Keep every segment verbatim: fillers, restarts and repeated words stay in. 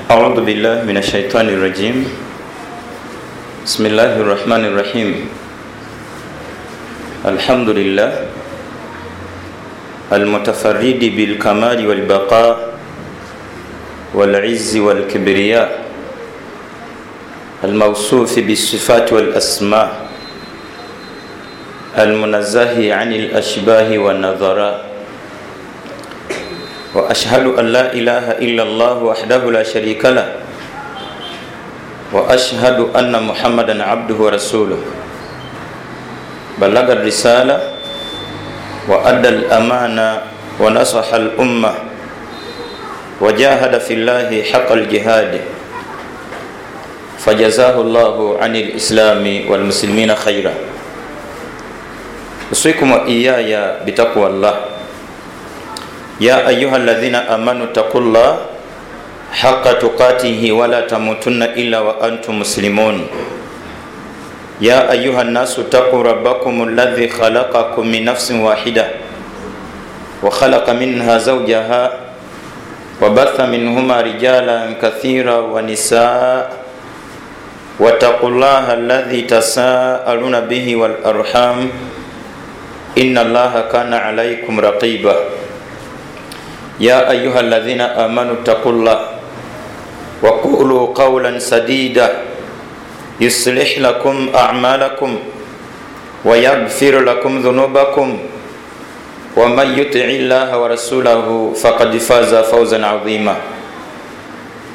أعوذ بالله من الشيطان الرجيم. بسم الله الرحمن الرحيم. الحمد لله المتفرد بالكمال والبقاء والعز والكبرياء، الموصوف بالصفات والأسماء، المنزه عن الأشباه والنظراء، وأشهد أن لا إله إلا الله وحده لا شريك له، وأشهد أن محمدا عبده ورسوله، بلغ الرسالة وأدى الأمانة ونصح الأمة وجاهد في الله حق الجهاد، فجزاه الله عن الإسلام والمسلمين خيرا. أوصيكم وإياي بتقوى الله. يا أيها الذين آمنوا اتقوا الله حق تقاته ولا تموتن إلا وأنتم مسلمون. يا أيها الناس اتقوا ربكم الذي خلقكم من نفس واحدة وخلق منها زوجها وبث منهما رجالا كثيرا ونساء، واتقوا الله الذي تساءلون به والأرحام إن الله كان عليكم رقيبا. يا أيها الذين آمنوا اتقوا الله وقولوا قولا سديدا يصلح لكم أعمالكم ويغفر لكم ذنوبكم، ومن يطع الله ورسوله فقد فاز فوزا عظيما.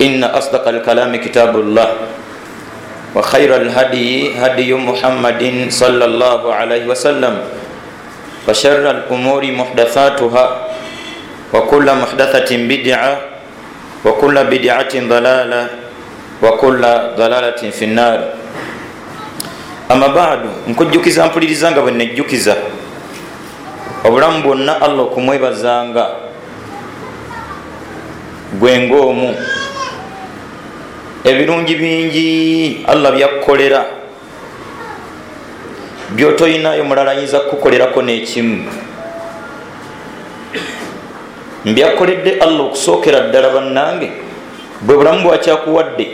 إن أصدق الكلام كتاب الله، وخير الهدي هدي محمد صلى الله عليه وسلم، وشر الأمور محدثاتها، وكل محدثة بدعة، وكل بدعة ضلالة، وكل ضلالة في النار. أما بعد، nkujjukiza mpuliriza nga bwe nejjukiza obulamu bwonna Allah okumwebazanga gwe ng'omu. Ebirungi bingi Allah byakkolera by'otoyinayo mulala ayinza kukukolerako n'ekimu. Mbyakoledde Allah okusookera ddala bannange bwe bulamu bwakyakuwadde.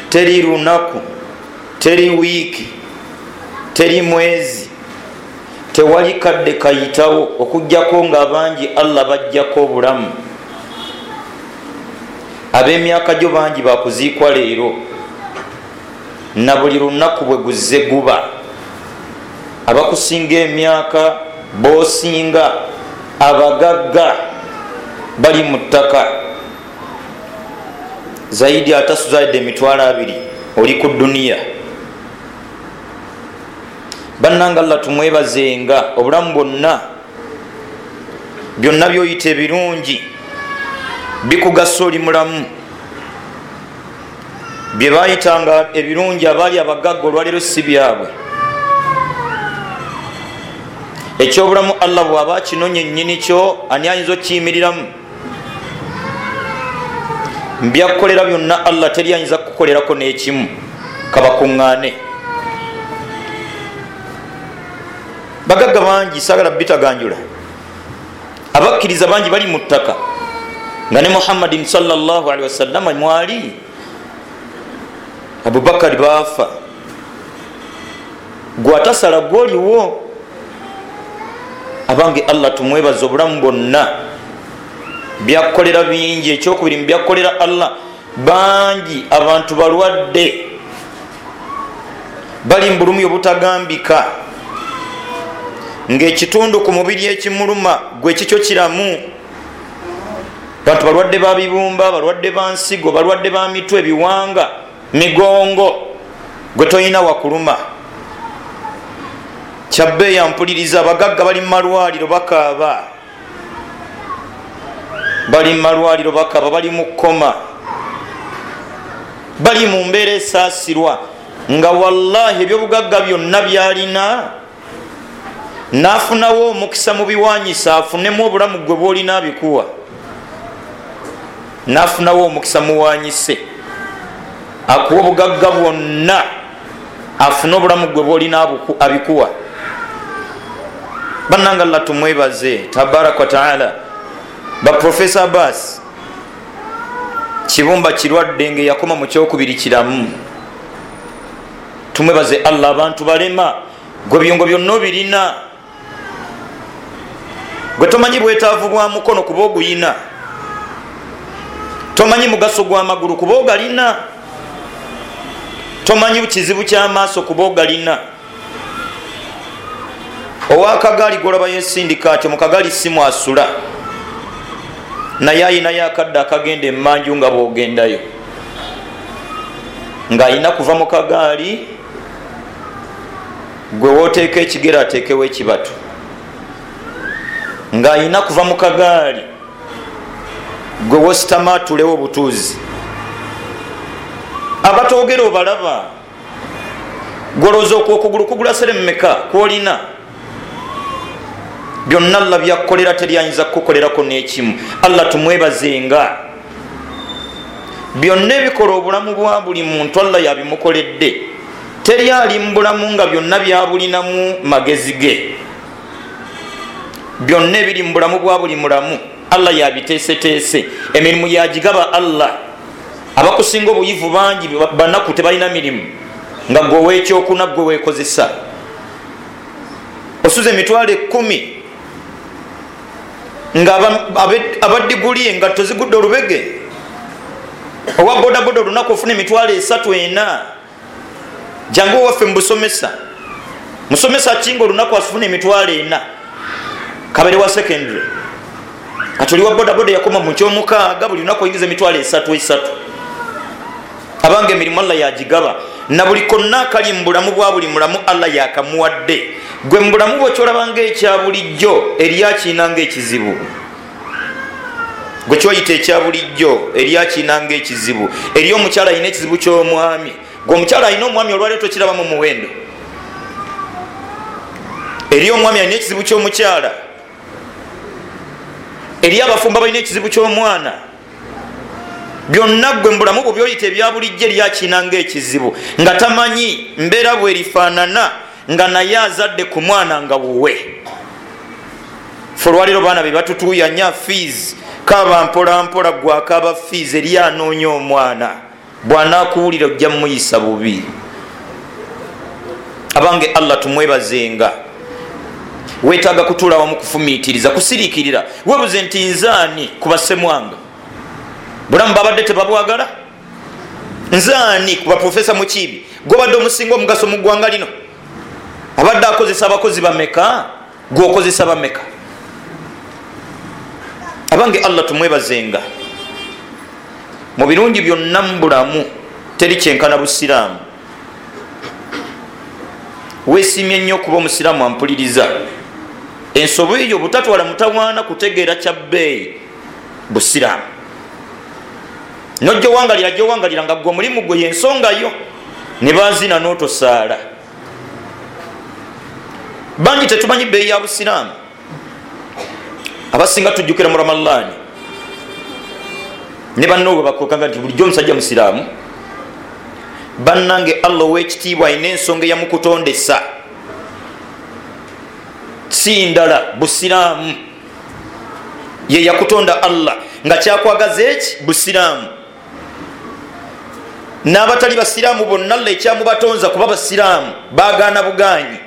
Teri lunaku, teri wiiki, teri mwezi, tewali kadde kayitawo okuggyako ng'abangi Allah bajjako obulamu. Ab'emyaka gyo bangi bakuziikwa leero, na buli lunaku bwe guzze guba. Abakusinga emyaka b'osinga, abagagga bali mu ttaka zaidi atasuzaidde emitwalo abiri oli ku duniya. Bannange Allah tumwebazenga obulamu bwonna, byonna by'oyita ebirungi bikugasa oli mulamu. Bye baayitanga ebirungi abaali abagagga olwaleero si byabwe. Ekyobulamu Allah bw'aba akinonye nnyini kyo, ani ayinza okkiyimiriramu? Mbyakukolera byonna Allah teri ayinza kukukolerako n'ekimu, kabakuŋŋaane. Bagagga bangi saagala bitaganjula, abakkiriza bangi bali mu ttaka nga ne Muhammadin sallallahu alaihi wasallam mwali. Abubakari baafa, gwatasala gwoliwo. Abange Allah tumwebaza obulamu bwonna, byakukolera bingi. Ekyokubiri mu byakukolera Allah, bangi abantu balwadde bali mu bulumi obutagambika, ng'ekitundu ku mubiri ekimuluma gwe kikyo kiramu. Bantu balwadde ba bibumba, balwadde ba nsigo, balwadde ba mitwe, biwanga, migongo, gwe toyina wakuluma. Kyabbeeya mpuliriza, abagagga bali mu malwaliro bakaaba, bali mu malwaliro bakaaba, bali mu kkoma, bali mu mbeera esaasirwa, nga wallahi ebyobugagga byonna byalina n'afunawo omukisa mu biwanyisa, afunemu obulamu gwe bw'olina abikuwa, n'afunawo omukisa muwanyise, akuwa obugagga bwonna, afune obulamu gwe bw'olina abikuwa. Bannange Allah tumwebaze tabaraka wa taala. Baprofesa Abbas Kibumba kirwadde nga yakoma mu kyokubiri kiramu. Tumwebaze Allah. Abantu balema, gwe byongo byonna obirina, gwe tomanyi bwetaavu bwa mukono kuba oguyina, tomanyi mugaso gw'amagulu kuba ogalina, tomanyi kizibu ky'amaaso kuba ogalina. Owakagaali golaba yesindika atyo, mu kagaali si mwasula, naye ayinayo akadde akagenda emmanju nga bw'ogendayo, ng'ayina kuva mu kagaali gwe wooteeka ekigere ateekewo ekibatu, ng'ayina kuva mu kagaali gwe wositama atulewo obutuuzi. Abatogera obalaba, gwolowooza okugulu kugula sere mmeka kwolina? Byonna Allah byakukolera teryayinza kukukolerako n'ekimu. Allah tumwebazenga. Byonna ebikola obulamu bwa buli muntu Allah yabimukoledde. Teri ali mu bulamu nga byonna byabulinamu magezi ge. Byonna ebiri mu bulamu bwa buli mulamu Allah yabiteeseteese. Emirimu yagigaba Allah. Abakusinga obuyivu bangi banaku tebalina mirimu, nga gwe ow'ekyokuna gwe weekozesa. Osuza emitwalo ekkumi nga abadiguli engatto zigudde olubege. Owa bodaboda olunaku ofuna emitwalo esatu ena. Jangu owaffe mu busomesa, musomesa kinga olunaku asufuna emitwalo ena, kabere wa secondary. Kati oli wa bodaboda yakoma mu kyomukaaga, buli lunaku oyingiza emitwalo esatu esatu. Abange emirimu Allah yagigaba, na buli konna akali mu bulamu bwa buli mulamu Allah yakamuwadde. Gwe mu bulamu bwo kyolaba ng'ekya bulijjo eri akiina ng'ekizibu. Gwe kyoyita ekya bulijjo eri akiina ng'ekizibu. Eri omukyala alina ekizibu ky'omwami, gwe omukyala alina omwami olwaleero tokiraba mu muwendo. Eri omwami alina ekizibu ky'omukyala, eri abafumbo balina ekizibu ky'omwana. Byonna gwe mu bulamu bwo byoyita ebya bulijjo eri akiina ng'ekizibu, nga tamanyi mbeera bwerifaanana, nga naye azadde ku mwana nga wuwe. Ffe olwaleero baana be batutuuyanya fees, kaaba mpola mpola gwakaaba fees, eri anoonya omwana bw'anaakuwulira ojja muyisa bubi. Abange Allah tumwebazenga. Weetaaga kutuula wamu kufumiitiriza, kusiriikirira. Weebuze nti nzaani ku bassemwanga? Bulamu babadde tebabwagala? Nzaani ku baprofesa Mukiibi gwobadde omusinga omugaso mu ggwanga lino? Abadde akozesa abakozi bameka, gwokozesa bameka? Abange Allah tumwebazenga. Mu birungi byonna mu bulamu teri kyenkana busiraamu. Weesiimye nnyo okuba omusiraamu ampuliriza. Ensobi eyo butatwala mutawaana kutegeera kya bbeeyi busiraamu. Nojja owangalira gy'owangalira nga gwe omulimu gwe y'ensonga yo, ne bazina n'otosaala. Bangi tetumanyi bbeeyi ya busiraamu. Abasinga tujjukira mu Ramalaani ne banno bwe bakokanga nti bulijjo omusajja musiraamu. Bannange Allah ow'ekitiibwa alina ensonga eyamukutondesa, si ndala, busiraamu. Ye yakutonda Allah nga kyakwagaza eki? Busiraamu. N'abatali basiraamu bonna Allah ekyamubatonza kuba basiraamu, baagaana bugaanyi.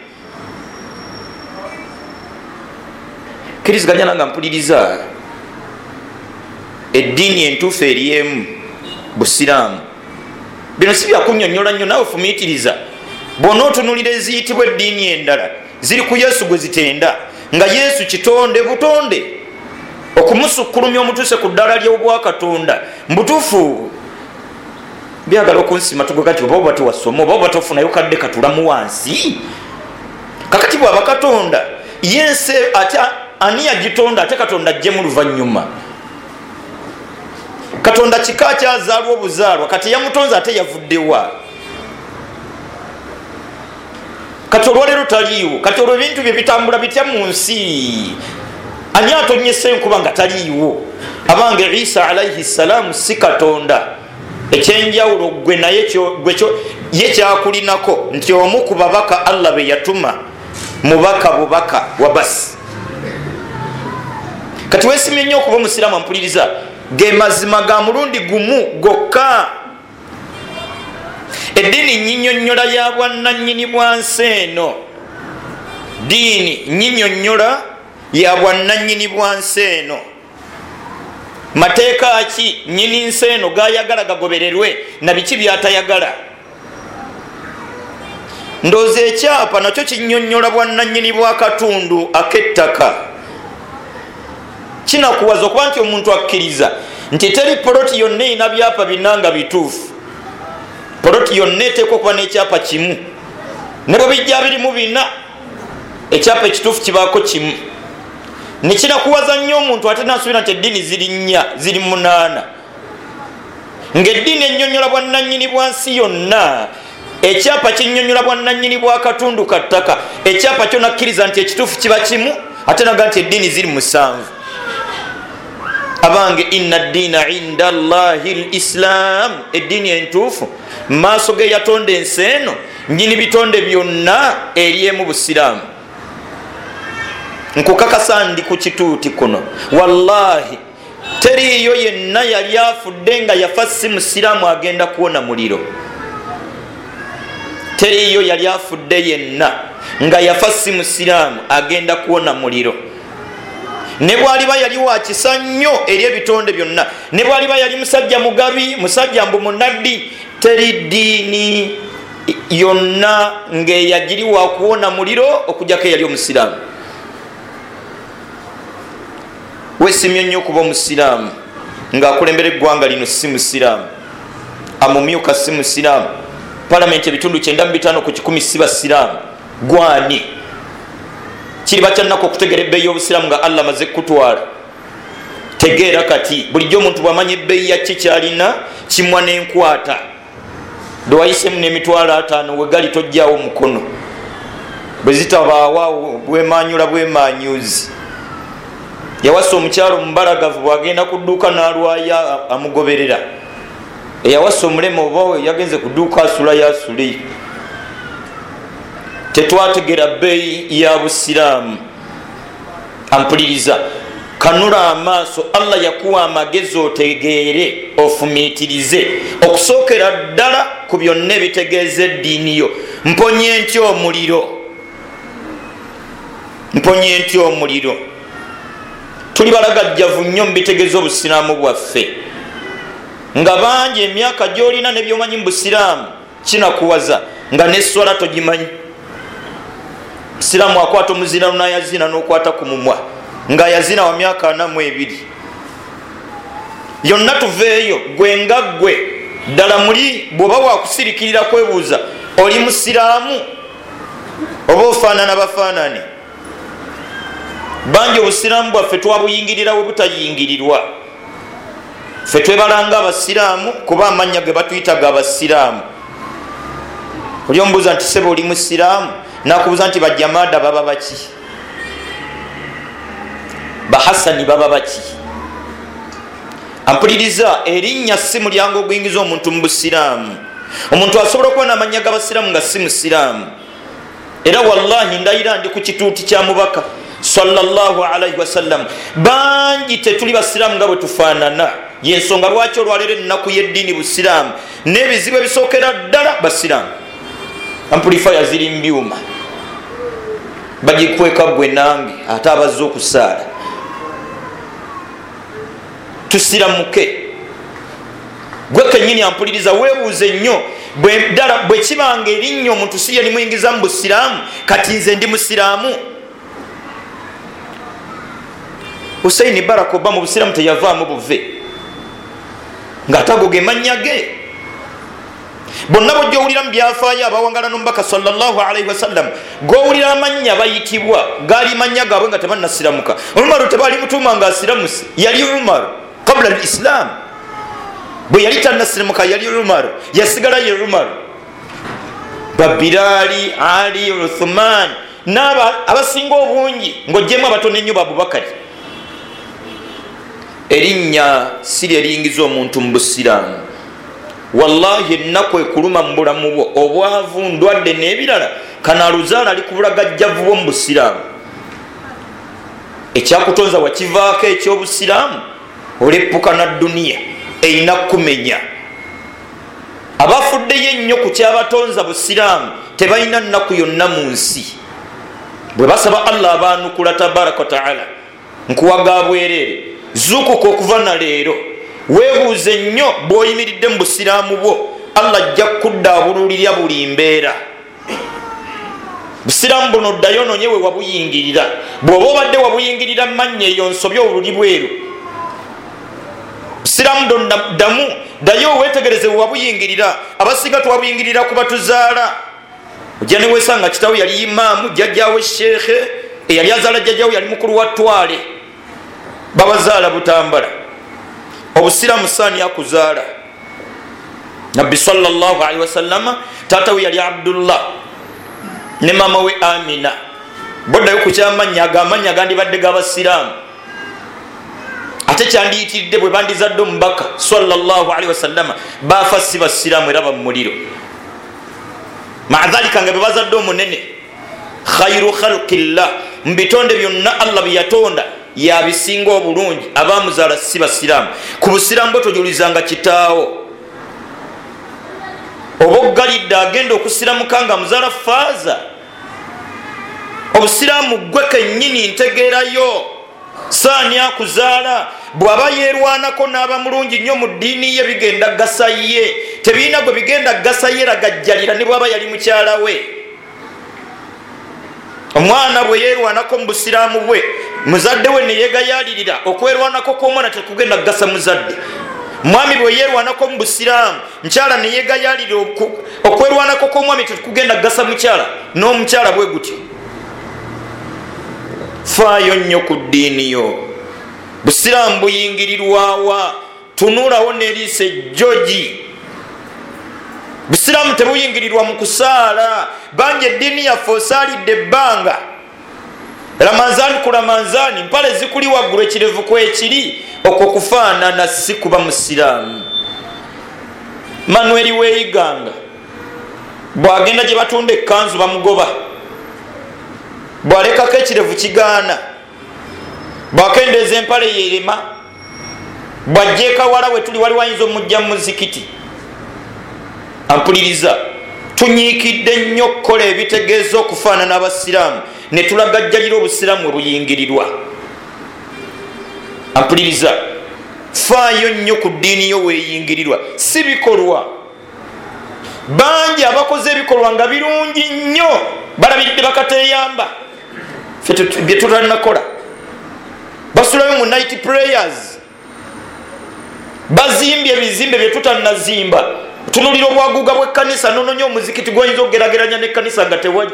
Kkiriziganya nange mpuliriza. Eddiini entuufu eri emu, busiraamu. Bino si byakunnyonnyola nnyo, naawe fumiitiriza. Bw'onootunuulira eziyitibwa eddiini endala ziri ku Yesu gwe zitenda, nga Yesu kitonde butonde, okumusukkulumya omutuuse ku ddaala ly'obwakatonda. Mbutuufu byagala okunsima tugwe kati oba oba tewasoma oba oba tofunayo kadde katulamu wansi. Kakati bw'aba Katonda yensi ate ani yagitonda ate Katonda ajjemu luvannyuma? Katonda kika kyazaalwa obuzaalwa, kati yamutonze ate yavuddewa? Kati olwaleero taliiwo, kati olwo ebintu bye bitambula bitya mu nsi? Ani atonyesa enkuba nga taliiwo? Abange Isa alaihi salaamu si Katonda. Ekyenjawulo gwe naye ye kyakulinako nti omu ku babaka Allah be yatuma mubaka bubaka wa basi. Kati weesimye nnyo okuba omusiraamu ampuliriza. Ge mazima ga mulundi gumu gokka. Eddiini nnyinyonnyola ya bwannannyini bwa nsi eno. Ddiini nnyinyonnyola ya bwannannyini bwa nsi eno. Mateeka ki nnyini nsi eno gayagala gagobererwe na biki byatayagala? Ndowooza ekyapa nakyo kinnyonnyola bwannannyini bwa katundu ak'ettaka. Kinakuwaza okuba nti omuntu akkiriza nti teri poloti yonna erina byapa bina nga bituufu. Poloti yonna eteekwa okuba n'ekyapa kimu, ne bwe bijja birimu bina, ekyapa ekituufu kibaako kimu. Nekinakuwaza nnyo omuntu ate nasuubira nti eddiini ziri nnya, ziri munaana, ng'eddiini ennyonnyola bwannannyini bwa nsi yonna. Ekyapa kinnyonnyola bwannannyini bwa katundu ka ttaka. Ekyapa kyo nakkiriza nti ekituufu kiba kimu, ate naga nti eddiini ziri musanvu. Abange, inna ddiina inda Allahi l-Islam, eddiini entuufu maaso ge yatonda ensi eno nnyini bitonde byonna eri emu busiraamu. Nkukakasa ndi ku kituuti kuno, wallahi teriiyo yenna yali afudde nga yafa si musiraamu agenda kuwona muliro. Teriiyo yali afudde yenna nga yafa si musiraamu agenda kuwona muliro. Ne bw'aliba yali wa kisa nnyo eri ebitonde byonna, ne bw'aliba yali musajja mugabi, musajja mbu munaddi, teri ddiini yonna ng'eyagiri wa kuwona muliro okuggyako eyali omusiraamu. Weesimye nnyo okuba omusiraamu ng'akulembera eggwanga lino si musiraamu, amumyuka si musiraamu, palamenti ebitundu kyenda mu bitaano ku kikumi si basiraamu. Gwani kiriba kyannaku okutegeera ebbeeyi y'obusiraamu nga Allah amaze kukutwala. Tegeera kati bulijjo omuntu bw'amanya ebbeeyi ya ki kyalina kimwa n'enkwata. Lwayisemu n'emitwalo ataano we gali tojjaawo mukono, bwe zitabaawo bwemanyula bwemanyuzi. Yawasa omukyalo omubalagavu bw'agenda ku dduuka n'alwayo amugoberera. Eyawasa omulema oba yagenze ku dduuka asulayo asule. Tetwategera bbeeyi ya busiraamu. Ampuliriza, kanula amaaso. Allah yakuwa amagezi otegeere, ofumiitirize okusookera ddala ku byonna ebitegeeza eddiini yo. Mponye ntya omuliro? Mponye ntya omuliro? Tuli balagajjavu nnyo mu bitegeeza obusiraamu bwaffe, nga bangi emyaka gy'olina ne by'omanyi mu busiraamu kinakuwaza nga n'esswala togimanyi. Musiraamu akwata omuzira n'ayazina n'okwata ku mumwa nga yazina wa myaka ana mu ebiri. Yonna tuveeyo gwe nga ggwe ddala muli bw'oba wakusirikirira kwebuuza oli musiraamu oba ofaanana bafaanane. Bangi obusiraamu bwaffe twabuyingirira we butayingirirwa. Ffe twebalanga abasiraamu kuba amannya ge batuyita ga basiraamu. Oli omubuuza nti ssebo oli musiraamu, nakubuuza nti bajamaada baba baki, bahasani baba baki. Ampuliriza, erinnya si mulyango oguyingiza omuntu mu busiraamu. Omuntu asobola okuba n'amannya g'abasiraamu nga si musiraamu. Era wallahi ndayira ndi ku kituuti kya mubaka sallallahu alaihi wasallam, bangi tetuli basiraamu nga bwe tufaanana. Yensonga lwaki olwaleero ennaku y'eddiini busiraamu n'ebizibu ebisookera ddala basiraamu. Amplifier ziri mu byuma, bagikweka gwe nange ate abazze okusaala. Tusiramuke. Gwe kennyini ampuliriza weebuuze nnyo ddala bwe kibanga erinnya omuntu si ye limuyingiza mu busiraamu, kati nze ndi musiraamu. Hussein Barack Obama obusiraamu teyavaamu buve, ng'ate ago ge mannya ge. Bonna bw'ojja owulira mu byafaayo abawangala n'omubaka sallallahu alaihi wasallam, g'owulira amannya bayitibwa gaali mannya gaabwe nga tebannasiramuka. Umaru tebaali mutuuma ng'asiramuse, yali Umaru qabla al-Islam. Bwe yali tannasiramuka yali Umaru, yasigala ye Umaru. Babirali, Ali, Uthman n'aba abasinga obungi ng'oggyemu abatono ennyo ba Abubakari. Erinnya si lye liyingiza omuntu mu busiraamu. Wallahi ennaku ekuluma mu bulamu bwo, obwavu, ndwadde n'ebirala, kanaaluzaala ali ku bulagajjavu bwo mu busiraamu. Ekyakutonza wakivaako eky'obusiraamu. Olepuka na duniya erina kumenya. Abafuddeyo ennyo ku kyabatonza busiraamu tebalina nnaku yonna mu nsi. Bwe basaba Allah abaanukula tabaraka wa taala. Nkuwaga bwereere, zuukuka okuva na leero, weebuuze nnyo bw'oyimiridde mu busiraamu bwo. Allah ajja kukuddaabululira buli mbeera. Busiraamu buno ddayo onoonye we wabuyingirira. Bw'oba obadde wabuyingirira mannya eyo nsobi oluli bweru. Busiraamu ddamu ddayo weetegereze we wabuyingirira. Abasinga twabuyingirira ku batuzaala. Ojja ne weesanga kitaawo yali imaamu, jjajjaawe sheekhe, eyali azaala jjajjaawe yali mukulu wa ttwale, babazaala Butambala. Obusiraamu saani akuzaala. Nabbi sallallahu alaihi wasallama taata we yali Abdullah ne maama we Amina. Boddayo ku kyamannya, ago amannya gandibadde g'abasiraamu, ate kyandiyitiridde bwe bandizadde omubaka sallallahu alaihi wasallama. Baafa si basiraamu era bamumuliro. Maadhalika nga bwe bazadde omunene khairu khalqillah, mu bitonde byonna Allah bye yatonda yabisinga obulungi, abamuzaala si basiraamu. Ku busiraamu bwe tojulizanga kitaawo. Oba oggalidde agenda okusiramuka nga muzaala faaza. Obusiraamu gwe kennyini ntegeerayo. Saani akuzaala bw'aba yeerwanako n'aba mulungi nnyo mu ddiini ye, bigenda gasa ye. Tebirina gwe bigenda gasa ye ragajjalira ne bw'aba yali mukyala we. Omwana bwe yeerwanako mu busiraamu bwe, muzadde we ne yeegayaalirira, okwerwanako kw'omwana tekugenda gasa muzadde. Mwami bwe yeerwanako mu busiraamu, mukyala ne yeegayaalirira, okwerwanako kw'omwami tekugenda gasa mukyala, n'omukyala bwe gutyo. Faayo nnyo ku ddiini yo. Busiraamu buyingirirwawa? Tunulawo n'eriiso ejjogi. Busiraamu tebuyingirirwa mu kusaala. Bangi eddiini yaffe osaalidde ebbanga, Ramanzani ku Ramanzani, mpale zikuli waggulu, ekirevu kwekiri. Okwo kufaanana si kuba musiraamu. Manueli weeyiganga bw'agenda gye batunda ekkanzu bamugoba, bw'alekako ekirevu kigaana, bw'akendeeza empale yerema, bw'ajja ekawala we tuli waliwo ayinza omujja mu muzikiti. Ampuliriza, tunyiikidde nnyo okukola ebitegeeza okufaanana abasiraamu ne tulagajjalira obusiraamu bwe buyingirirwa. Ampuliriza, faayo nnyo ku ddiini yo weeyingirirwa, si bikolwa. Bangi abakoze ebikolwa nga birungi nnyo balabiridde bakateeyamba, bye tutalinakola. Basulayo mu night prayers, bazimbye ebizimbe bye tutannazimba. Tunulira obwaguuga bw'ekkanisa, nononya omuzikiti gw'oyinza okugerageranya n'ekkanisa nga tewali.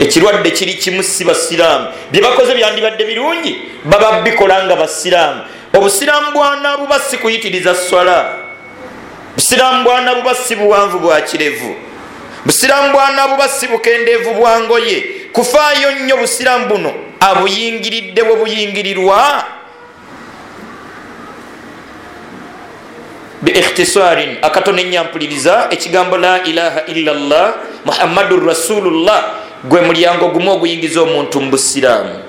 Ekirwadde kiri kimu, si basiraamu. Bye bakoze byandibadde birungi, baba bikola nga basiraamu. Obusiraamu bwanabuba si kuyitiriza swala. Busiraamu bwanabuba si buwanvu bwa kirevu. Busiraamu bwanabuba si bukendeevu bwa ngoye. Kufaayo nnyo busiraamu buno abuyingiridde bwe buyingirirwa. Biikhtisarin, akatono ennyampuliriza ekigambo la ilaha illallah Muhammadur Rasulullah gwe mulyango gumu oguyingiza omuntu mu busiraamu.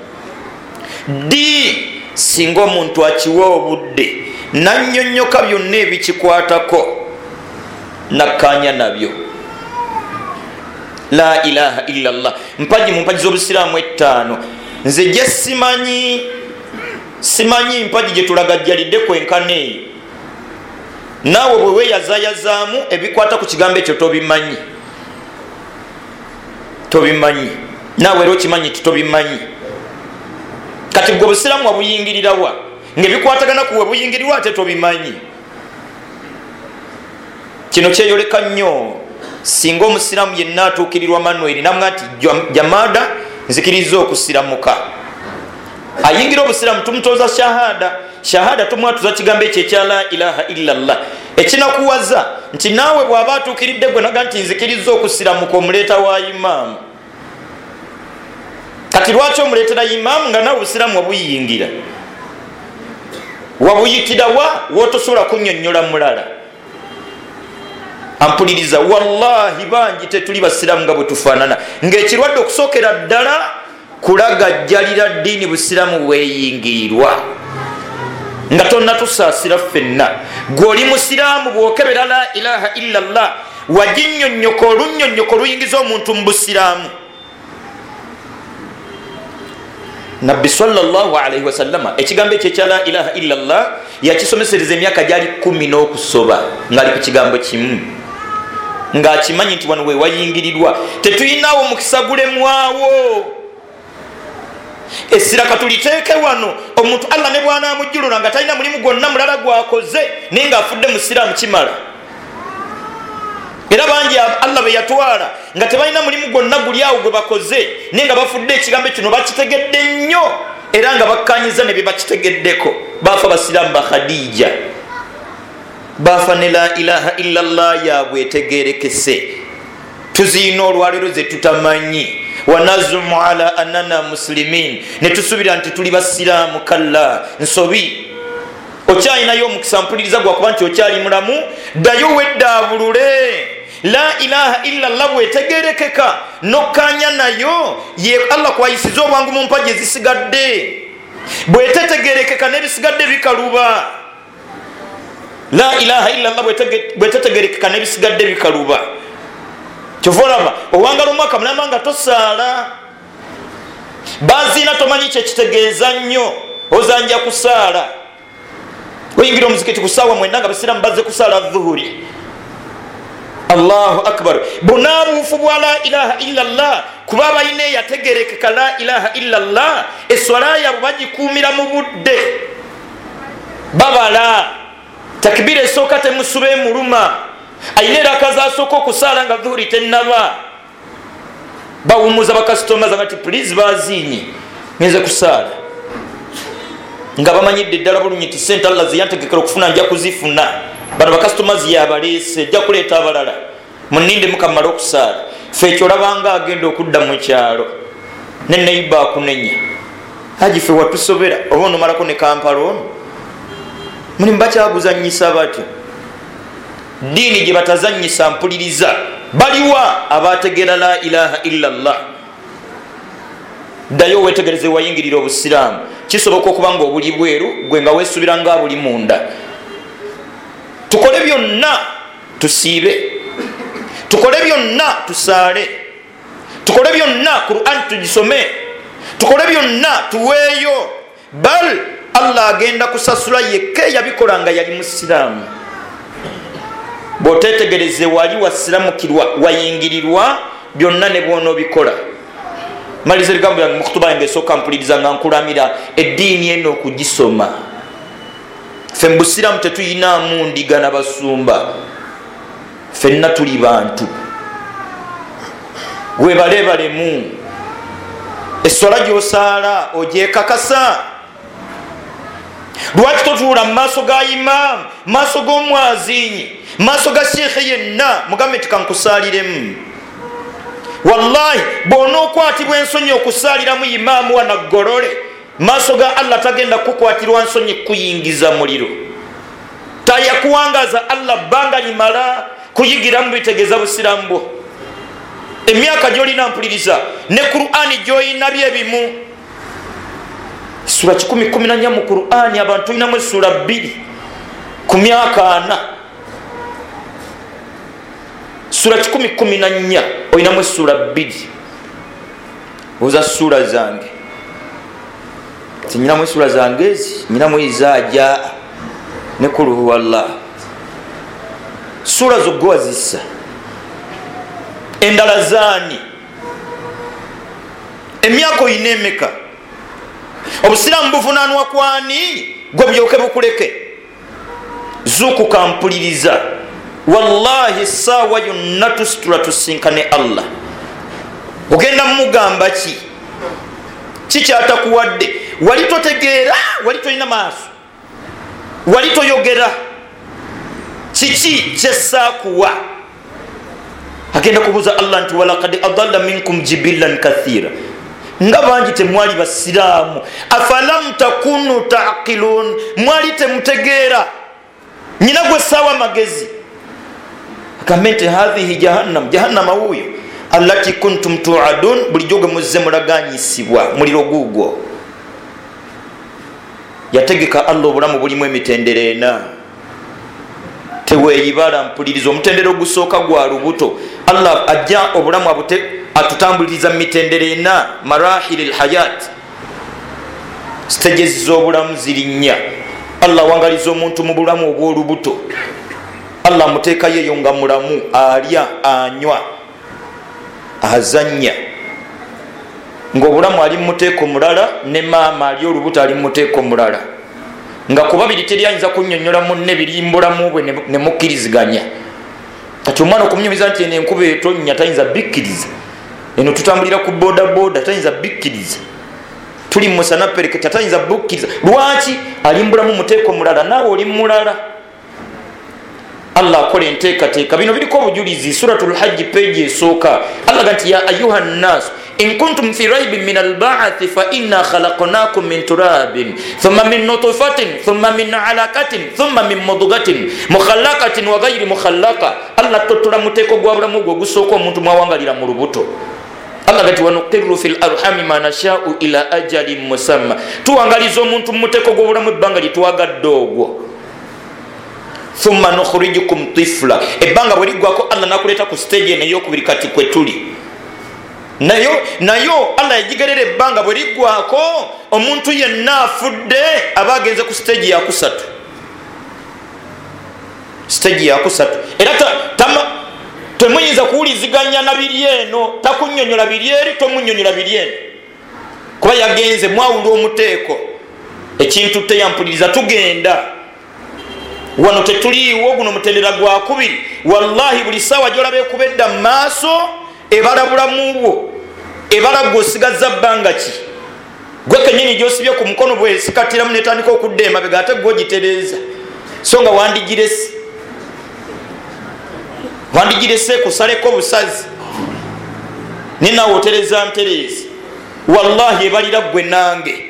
Ddi singa omuntu akiwa obudde nannyonnyoka byonna ebikikwatako nakkaanya nabyo. La ilaha illallah mpaji mu mpaji z'obusiraamu ettaano. Nze gye simanyi simanyi mpaji gye tulagajjalidde kwenkana eyo. Naawe bwe weeyazayazaamu ebikwata ku kigambo ekyo tobimanyi, tobimanyi. Naawe era okimanyi ti tobimanyi. Kati gwe obusiraamu wabuyingirirawa ng'ebikwatagana ku we buyingirirwa ate tobimanyi? Kino kyeyoleka nnyo singa omusiraamu yenna atuukirirwa Manueli namwa nti jamaada nzikiriza okusiramuka. Ayingira obusiraamu tumutoza shahada. Shahada tumwatuza kigambo ekyo ekya la ilaha illallah. Ekinakuwaza nti naawe bw'aba atuukiridde gwe naga nti nzikiriza okusiramuka, omuleeta wa imaamu. Kati lwaki omuleetera imaamu nga naawe obusiraamu wabuyingira? Wabuyitira wa w'otosobola kunnyonnyola mulala? Ampuliriza, wallahi bangi tetuli basiraamu nga bwe tufaanana. Ng'ekirwadde okusookera ddala kulagajjalira ddiini busiraamu bweyingirirwa. Nga tonnatusaasira ffenna, gwe oli musiraamu bw'okebera la ilaha illa llah waginnyonnyoka olunnyonnyoko luyingiza omuntu mu busiraamu. Nabbi sallallahu alaihi wasallama ekigambo ekyo ekya la ilaha illa llah yakisomesereza emyaka gyali kumi n'okusoba ng'ali ku kigambo kimu, ng'akimanyi nti wano we wayingirirwa tetuyinaawo mukisa gulemwawo. Essira katuliteeke wano, omuntu Allah ne bw'anaamujjulula nga talina mulimu gwonna mulala gwakoze naye ng'afudde musiraamu kimala. Era bangi Allah be yatwala nga tebalina mulimu gwonna guli awo gwe bakoze naye nga bafudde ekigambo kino bakitegedde nnyo era nga bakkanyiza ne bye bakitegeddeko. Baafa basiraamu ba Khadija, baafa ne la ilaha illa llah yaabwe etegeerekese. Tuziina olwaleero ze tutamanyi, wanazumu ala annana muslimin, ne tusuubira nti tuli basiraamu. Kalla, nsobi. Okyalinayo omukisa mpuliriza gwakuba nti okyali mulamu, ddayo weddaabulule. La ilaha illa llah bwetegerekeka nokkanya nayo ye Allah kwayisiza obwangu mu mpagi ezisigadde. Bwetetegerekeka n'ebisigadde bikaluba. La ilaha illa llah bwetetegerekeka n'ebisigadde bikaluba. Kyova olaba owangala omwaka mulamba nga tosaala, baziina tomanyi kyekitegeeza nnyo, ozanja kusaala. Oyingira omuzikiti ku ssaawa mwenda nga basiraamu bazze kusaala dhuhuri. Allahu akbar. Bunaabuufu bwa la ilaha illa llah kuba balina eyategerekeka la ilaha illa llah, esswala yaabwe bagikuumira mu budde, babala takbira esooka temusuba emuluma, ayina eraka zasooka okusaala nga dhuhuri tennaba, bawumuza bakasitoma zanga ti please baziinye ngenze kusaala, nga bamanyidde ddala bulungi nti sente Allah zeyantegekera okufuna nja kuzifuna. Bano bakasitomazi yabaleese, ejja kuleeta abalala, muninde mukamala okusaala. Ffe ekyo olabanga agenda okudda mu kyalo ne neiba akunenya, haji ffe watusobera oba onomalako ne Kampala ono mulimu bakyaguzannyisa batyo. Ddiini gye batazannyisa mpuliriza, baliwa abategeera la ilaha illa llah. Ddayo weetegereze wayingirira obusiraamu. Kisoboka okuba nga obuli bweru gwe nga weesuubira nga buli munda. Tukole byonna tusiibe, tukole byonna tusaale, tukole byonna Qur'an tugisome, tukole byonna tuweeyo. Bal Allah agenda kusasula yekka yabikola nga yali musiraamu. Bw'oteetegereze wali wasiramukirwa wayingirirwa byonna ne bw'onoobikola. Maliza ebigambo byange mu kutuba yange esooka mpuliriza nga nkulamira eddiini eno okugisoma. Ffe mu busiraamu tetuyinaamu ndiga na basumba, ffenna tuli bantu. Webalebalemu esswala gy'osaala ogyekakasa. Lwaki totuula mu maaso ga imaamu, maaso g'omwazinyi, maaso ga sheekhe yenna mugambe nti kankusaaliremu? Wallahi bw'onookwatibwa ensonyi okusaaliramu imaamu wanaggolole, maaso ga Allah tagenda kukwatirwa nsonyi kuyingiza muliro. Tayakuwangaza Allah bbanga limala kuyigiramu bitegeeza busiraamu bwo. Emyaka gy'olina mpuliriza ne Qur'ani gy'olina byebimu. Sura kikumi kumi na nnya mu Qur'ani, abantu olinamu essula bbiri ku myaka ana. Sura kikumi kumi na nnya olinamu essula bbiri. Oza sura zange tinyinamu essula zange ezi nyinamu izaaja ne kul huwa Allah. Sura zo gwe wazissa, endala zaani? Emyaka oyina emeka? Obusiraamu buvunaanwa kwani gwe bulyoke bukuleke? Zuukuka mpuliriza, wallahi essaawa yonna tusitula tusinkane Allah. Ogenda mumugamba ki? Kikyatakuwadde? Wali totegeera, wali tolina maaso, wali toyogera, kiki kyesaakuwa? Agenda kubuuza Allah nti walaqad adalla minkum jibillan kathira, nga bangi temwali basiraamu. Afalam takunu taqilun, mwali temutegeera. Nyina gwe saawa magezi agambe nti hadhihi jahannam, jahannama wuuyo allati kuntum tuadun, bulijjo gwe muzze mulaganyisibwa muliro guugwo. Yategeka Allah obulamu bulimu emitendera ena. Teweeyibala, mpuliriza. Omutendera ogusooka gwa lubuto. Allah ajja obulamu abute atutambuliriza mu mitendera ena, marahili lhayat, stages z'obulamu ziri nnya. Allah awangaliza omuntu mu bulamu obw'olubuto. Allah amuteekayo eyo nga mulamu, alya, anywa, azannya, ng'obulamu ali mu muteeko mulala, ne maama ali olubuto ali mu muteeko mulala, nga ku babiri teri ayinza kunnyonnyola munne biri mu bulamu bwe ne mukkiriziganya. Kati omwana okumunyumiza nti eno enkuba etonnya tayinza bikkiriza, eno tutambulira ku bodaboda tayinza bikkiriza, tuli mu musana pereketa tayinza bukkiriza. Lwaki? Ali mu bulamu muteeko mulala, naawe oli mulala. Allah akola enteekateeka. Bino biriko obujulizi. Suratul Hajji page esooka, Allah ga nti ya ayuha nnasu in kuntum fi raibin min albaathi fa inna khalaqnakum min turabin thumma min nutfatin thumma min alaqatin thumma min mudghatin mukhallaqatin wa ghayri mukhallaqa. Allah totola muteeko gwa bulamu gwe ogusooka omuntu mwawangalira mu lubuto. Allah gati wanuqirru fil arhami ma nasha'u ila ajalin musamma, tuwangaliza omuntu mu muteeko gw'obulamu ebbanga lyetwagadde ogwo. Thumma nukhrijukum tifla, ebbanga bwe liggwako Allah nakuleeta ku stage eno ey'okubiri kati kwe tuli nayo. Nayo Allah yagigerera ebbanga bwe liggwako omuntu yenna afudde aba agenze ku stage yakusatu, stage yakusatu. Era temuyinza kuwuliziganya na biri eno, takunnyonnyola biri eri, tomunnyonnyola biri eno, kuba yagenze mwawula omuteeko. Ekintu teyampuliriza, tugenda wano tetuliiwo, guno mutendera gwa kubiri. Wallahi buli ssaawa gy'olaba ekuba edda mu maaso ebala bulamu bwo, ebala gw'osigazza bbanga ki, gwe kennyini gy'osibye ku mukono bwesikatiramu netandika okudda emabega ate gw'ogitereeza, so nga wandigirese, wandigirese kusaleko obusazi ninaawe otereza ntereezi. Wallahi ebalira ggwe nange,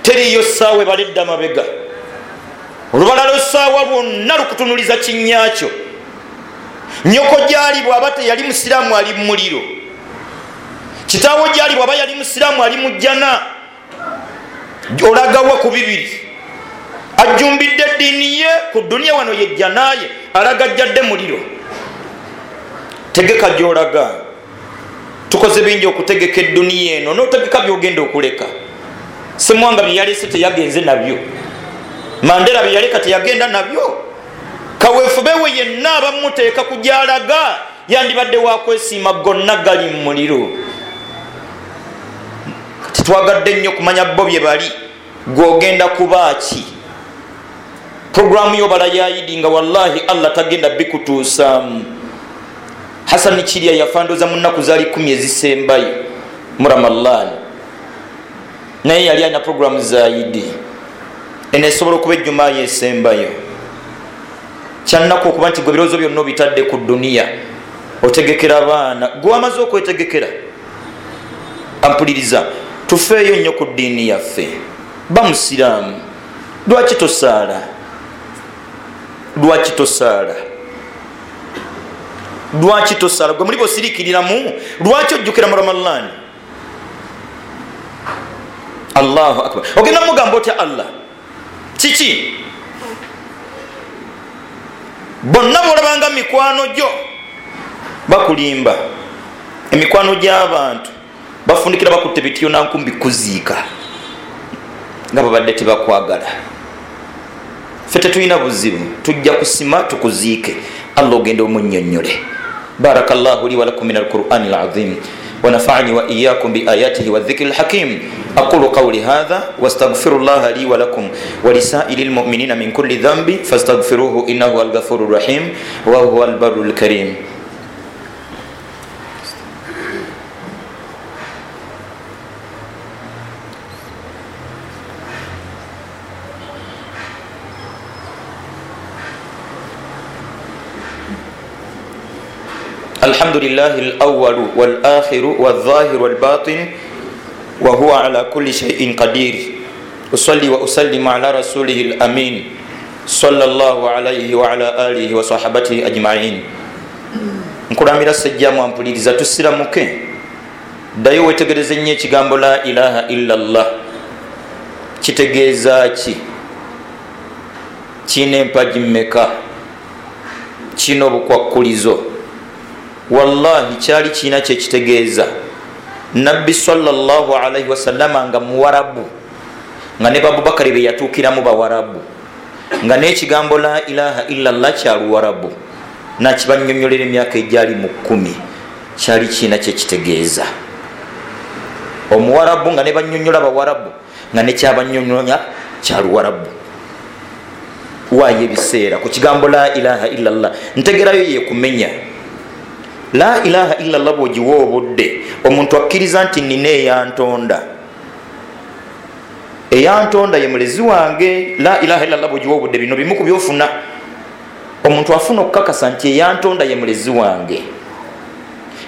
teriiyo ssaawa ebala edda mabega. Olubalala essaawa lwonna lukutunuliza kinnyakyo. Nnyoko gyali bw'aba teyali musiraamu ali mu muliro, kitaawo gyali bw'aba yali musiraamu ali mu jjana. Olagawa ku bibiri? Ajjumbidde eddiini ye ku duniya wano ye jjana ye, alaga ajjadde muliro. Tegeka gy'olaga. Tukoze bingi okutegeka edduniya eno, n'otegeka by'ogenda okuleka. Ssemwanga bye yalese teyagenze nabyo, Mandela bye yaleka teyagenda nabyo. Kaweefube we yenna abamuteeka ku gy'alaga yandibadde wakwesiima, gonna gali mu muliro. Kati twagadde nnyo kumanya bo bye bali, gw'ogenda kuba ki? Puroguramu y'obala ya Idi nga wallahi Allah tagenda bikutuusaamu. Hasani Kirya yafandoza mu nnaku zaali kumi ezisembayo mu Ramalani, naye yali alina puroguramu za Idi. Eno esobola okuba ejjumaa yesembayo. Kyannaku okuba nti gwe ebirowoozo byonna obitadde ku duniya, otegekera abaana, gwe wamaze okwetegekera. Ampuliriza, tufeeyo nnyo ku ddiini yaffe. Ba musiraamu, lwaki tosaala? Lwaki tosaala? Lwaki tosaala? Gwe muli bosiriikiriramu, lwaki ojjukira mu Ramalani? Allahu akbar. Ogenda mugamba otya Allah? Kiki? Bonna bolabanga mikwano gyo bakulimba. Emikwano gy'abantu bafundikira bakutte bitiyo na nkumbi kuziika nga babadde tebakwagala. Ffe tetulina buzibu, tujja kusima tukuziike. Allah ogenda omunnyonnyole. Barakallahu li wa lakum min alqur'ani alazim ونفعني وإياكم بآياته والذكر الحكيم. أقول قولي هذا واستغفر الله لي ولكم ولسائر المؤمنين من كل ذنب فاستغفروه إنه هو الغفور الرحيم وهو البر الكريم. الحمد لله الأول والآخر والظاهر والباطن وهو على كل شيء قدير. أصلي وأسلم على رسوله الأمين صلى الله عليه وعلى آله وصحبته أجمعين. Nkulamira sejjamu ampuliriza, tusiramuke. Ddayo weetegereze nnyo ekigambo la ilaha illa Allah. Kitegeeza ki? Kiina empagi mmeka? Kiina obukwakkulizo? Wallahi kyali kiina kyekitegeeza. Nabbi sallallahu alaihi wasallama nga muwarabu, nga ne Abubakari be yatuukiramu bawarabu, nga n'ekigambo la ilaha illallah kya luwarabu, nakibanyonyolera emyaka egyali mu kkumi, kyali kiina kyekitegeeza. Omuwarabu nga ne banyonyola bawarabu, nga nekyabanyonyola kya luwarabu. Waayo ebiseera ku kigambo la ilaha illallah, ntegerayo yekumenya. La ilaha illallah bw'ogiwa obudde, omuntu akkiriza nti nina eyantonda, eyantonda ye mulezi wange. La ilaha illallah bw'ogiwa obudde, bino bimu ku byofuna. Omuntu afuna okukakasa nti eyantonda ye mulezi wange.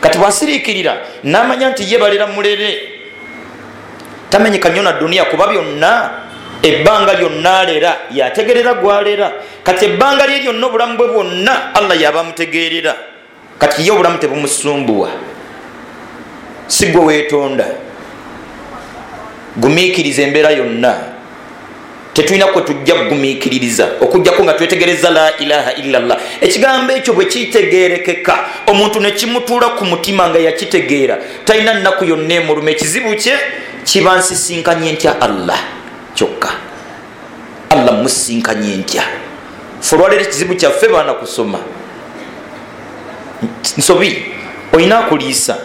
Kati bw'asiriikirira n'amanya nti ye balera mulere, tamenyeka nnyo na duniya, kuba byonna ebbanga lyonna alera, yategerera gwalera. Kati ebbanga lye lyonna, obulamu bwe bwonna Allah yaba amutegeerera. Kati ye obulamu tebumusumbuwa, si gwe weetonda. Gumiikiriza embeera yonna, tetulina kwe tujja kugumiikiririza okujjako nga twetegereza la ilaha illallah. Ekigambo ekyo bwe kitegeerekeka, omuntu ne kimutuula ku mutima nga yakitegeera, talina nnaku yonna emuluma. Ekizibu kye kiba nsisinkanye ntya Allah kyokka, Allah musinkanye ntya. Ffe olwaleero ekizibu kyaffe baana kusoma nsobi. Olina akuliisa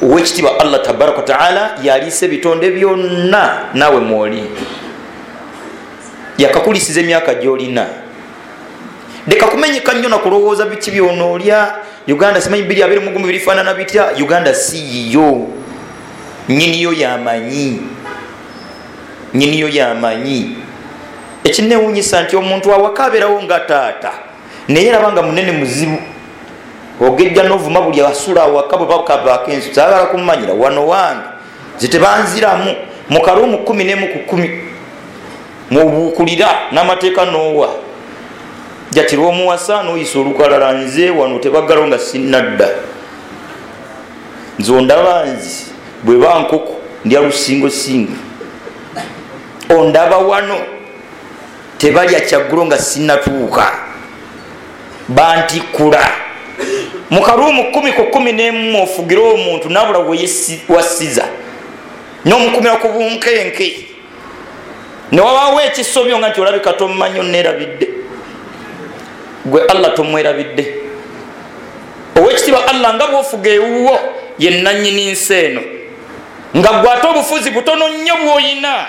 owekitiibwa Allah tabaraka wataala, yaliisa ebitonde byonna, naawe mwoli yakakulisiza emyaka gyolina. Leka kumenyeka nnyo nakulowooza biki byonoolya. Uganda simanyi bibiri abiri mu gumu birifaanana bitya. Uganda si yiyo, nnyiniyo yamanyi, nnyiniyo yamanyi. Ekinneewuunyisa nti omuntu awaka abeerawo nga taata, naye eraba nga munene muzibu, ogejja n'ovuma buli asula awaka bwe bakabaako ensu. Saagala kumumanyira wano wange, nze tebanziramu mu kaluumu kkumi n'emu ku kkumi mubuukulira n'amateeka n'owa jatirwa omuwasa n'oyisa olukalala. Nze wano tebaggalawo nga sinnadda, nze ondaba nzi bwe ba nkoko ndya lusingosingo, ondaba wano tebalya kyaggulo nga sinnatuuka, bantikkula mu kaluumu kkumi ku kkumi n'emu. Ofugire omuntu nabula wewasiza n'omukumira ku bunkenke, newabaawo ekisobyo nga nti olabika tomumanyi, onneerabidde. Gwe Allah tomwerabidde. Owekitiibwa Allah nga bw'ofuga ewuwo ye nannyini nsi eno, nga gwe ate obufuzi butono nnyo bw'oyina,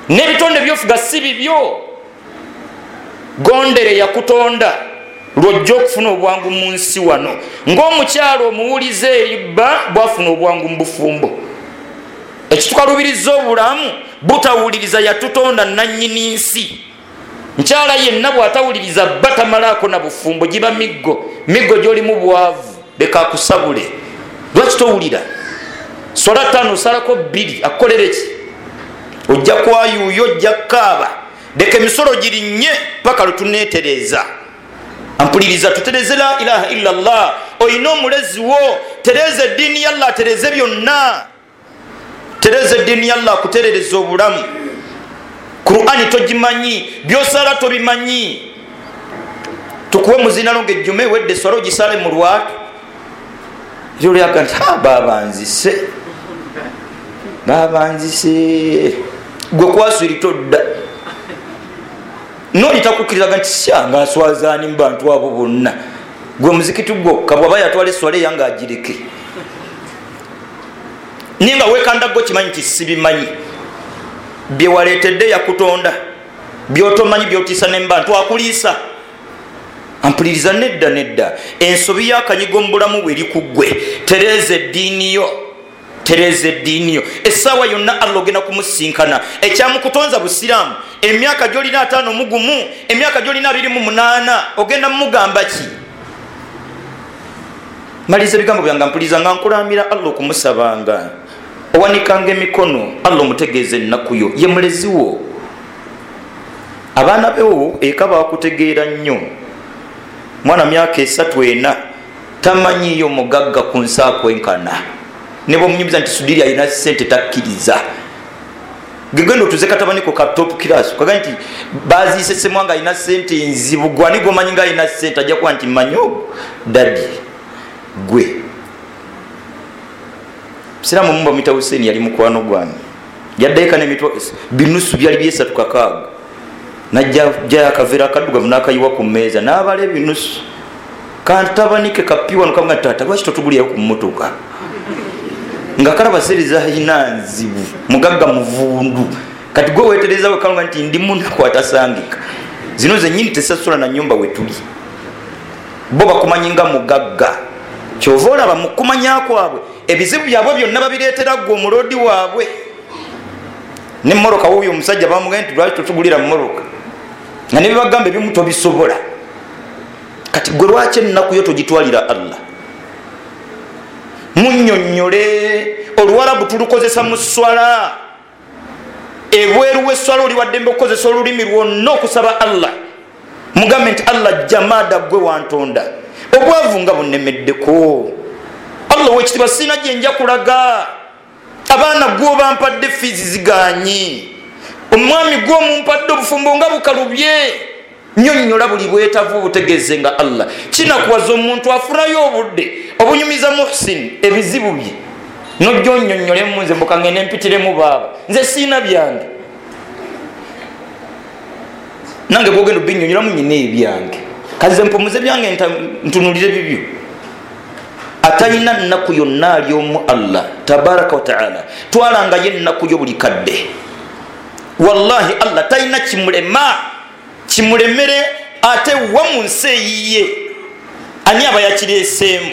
n'ebitonde by'ofuga si bibyo. Gondere yakutonda lw'ojja okufuna obwangu mu nsi wano, ng'omukyalo omuwulize eri bba bw'afuna obwangu mu bufumbo. Ekitukalubiriza obulamu butawuliriza yatutonda nannyini nsi. Nkyala yenna bw'atawuliriza bba tamalaako na bufumbo, giba miggo miggo gy'olimu bwavu, leka akusabule. Lwaki towulira? Swala ttaano osalako bbiri, akukolere ki? Ojja kwayuuyo, ojja kukaaba. Leka emisolo girinnye paka lwe tuneetereeza. Ampuliriza, tutereze la ilaha illallah. Oyina omulezi wo, tereza eddiini ya Allah, tereze byonna, tereza eddiini ya Allah akuterereza obulamu. Qur'ani togimanyi, byosala tobimanyi. Tukuwe muzinalo ng'ejjume wedde swala ogisale mu lwatu. Era olyaga nti baaba nzise, baaba nzise, gwe kwaswiri todda. Noli takukkirizaga nti syanga aswazaani mu bantu abo bonna, gwe muzikiti gwokka bw'aba yatwala eswala eyange agireke. Naye nga weekanda gwe kimanyi nti sibimanyi, bye waleetedde yakutonda, byotomanyi byotiisa ne mu bantu akuliisa. Ampuliriza, nedda nedda. Ensobi y'akanyigo mu bulamu bwe eri ku ggwe. Tereeza eddiini yo, tereeza eddiini yo. Essaawa yonna Allah ogenda kumusinkana. Ekyamukutonza busiraamu, emyaka gy'olina ataano mu gumu, emyaka gy'olina abiri mu munaana, ogenda mumugamba ki? Maliriza ebigambo byange, mpuliriza nga nkulamira Allah okumusabanga. Owanikanga emikono, Allah omutegeeza ennaku yo, ye mulezi wo. Abaana bewo eka bakutegeera nnyo. Mwana myaka esatu ena tamanyiyo mugagga ku nsi akwenkana, ne bwomunyumiza nti Sudiri alina ssente takkiriza. Gegenda otuze katabaniko ka top class kaga nti baziise Semwanga alina sente nzibu, gwani gomanyi nga alina sente? Ajja kuba nti mmanyi ogwo daddy gwe. Musiraamu mumba muyita Hussein, yali mukwano gwange, yaddayo n'emitwa binusu byali byesatu kakaaga, najja jayo akaveera akaddugavu n'akayiwa ku mmeeza n'abala ebinusu. Kantabanike kapiwa nokamuga nti taata lwaki totugulirayo ku mmotoka, nga kalaba sente zalina nzibu, mugagga muvundu. Kati gwe weetereza wekalunga nti ndi munaku atasangika, zino zennyini tesasula na nyumba wetuli. Bo bakumanyi nga mugagga, kyova olaba mu kumanya kwabwe ebizibu byabwe byonna babireetera gwe omuloodi waabwe. Nemmotoka wuuyo omusajja bamugambye nti lwaki totugulira mmotoka, nga ne bibagamba ebimu tobisobola. Kati gwe lwaki ennaku yo togitwalira Allah? Munnyonnyole. Oluwarabu tulukozesa mu swala, ebweru w'esswala oli waddembe okukozesa olulimi lwonna okusaba Allah. Mugambe nti Allah jamada gwe wantonda, obwavu nga bunnemeddeko, Allah owekitiibwa sirina gye nja kulaga, abaana gwe obampadde fiizi zigaanyi, omwami gwe omumpadde obufumbo nga bukalubye. Nnyonnyola buli bwetaavu obutegeeze nga Allah. Kinakuwaza omuntu afunayo obudde obunyumiza Muhsin ebizibu bye, nojja onnyonnyolemu nze mbuka ngende mpitiremu baaba, nze siina byange, nange bwogenda obinnyonnyolamu nyina ebyange, kaze mpumuze byange ntunulire bibyo. Atalina nnaku yonna ali omu Allah tabaraka wataala. Twalangayo ennaku yo buli kadde, wallahi Allah talina kimulema kimulemere ate wa mu nsi eyiye. Ani aba yakireeseemu?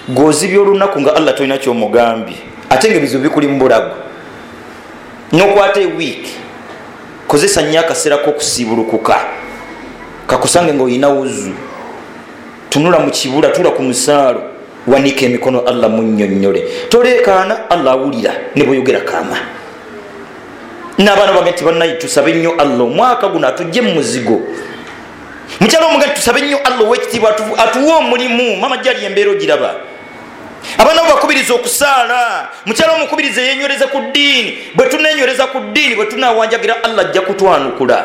Gw'ozibya olunaku nga Allah tolina kyomugambye, ate nga ebizibu bikuli mu bulago. N'okwata ewiiki, kozesa nnyo akaseera k'okusiibulukuka, kakusange ng'olina wuzu, tunula mu kibula, tula ku musaalo, wanika emikono Allah munnyonnyole. Toleekaana, Allah awulira ne bw'oyogera kaama. N'abaana bange nti bannaye tusabe nnyo Allah omwaka guno atujje mu muzigo. Mukyala omugaati tusabe nnyo Allah ow'ekitiibwa atuwe omulimu, mama gyali embeera ogiraba. Abaana bo bakubiriza okusaala, mukyala omukubiriza yeenywereze ku ddiini. Bwe tuneenywereza ku ddiini, bwe tunaawanjagira Allah ajja kutwanukula.